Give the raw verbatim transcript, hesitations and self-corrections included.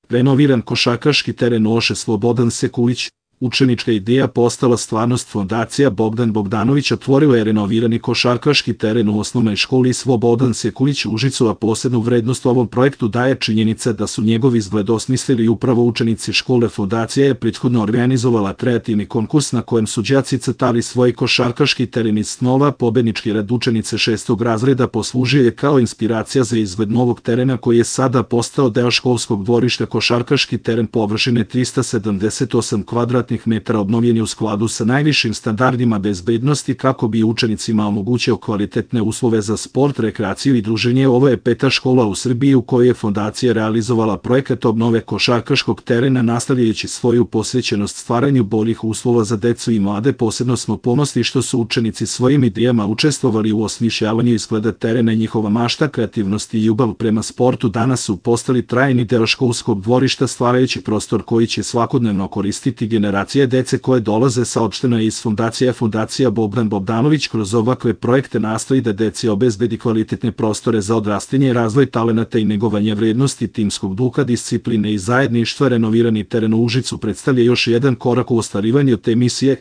Renoviran košarkaški teren Oše Slobodan Sekulić, učenička ideja postala stvarnost. Fondacija Bogdan Bogdanović otvorila je renovirani košarkaški teren u osnovnoj školi Slobodan Sekulić u Užicu, a posebnu vrednost ovom projektu daje činjenica da su njegov izgled osmislili upravo učenici škole. Fondacija je prethodno organizovala kreativni konkurs na kojem su đaci crtali svoj košarkaški teren iz snova. Pobednički rad učenice šestog razreda poslužio je kao inspiracija za izgled novog terena koji je sada postao deo školskog dvorišta. Košarkaški teren površine trista sedamdeset osam kvadratnih metara obnovljen je u skladu sa najvišim standardima bezbednosti kako bi učenicima omogućio kvalitetne uslove za sport, rekreaciju i druženje. Ovo je peta škola u Srbiji u kojoj je fondacija realizovala projekat obnove košarkaškog terena, nastavljajući svoju posvećenost stvaranju boljih uslova za decu i mlade. Posebno smo ponosni što su učenici svojim idejama učestvovali u osmišljavanju izgleda terena. Njihova mašta, kreativnost i ljubav prema sportu danas su postali trajni deo školskog dvorišta, stvarajući prostor koji će svakodnevno koristiti generacije dece koje dolaze. Saopšteno je iz fondacije. Fondacija Bogdan Bogdanović kroz ovakve projekte nastoji da deci obezbedi kvalitetne prostore za odrastanje, razvoj talenata i negovanje vrednosti timskog duha, discipline i zajedništva. Renovirani teren u Užicu predstavlja još jedan korak u ostvarivanju te misije.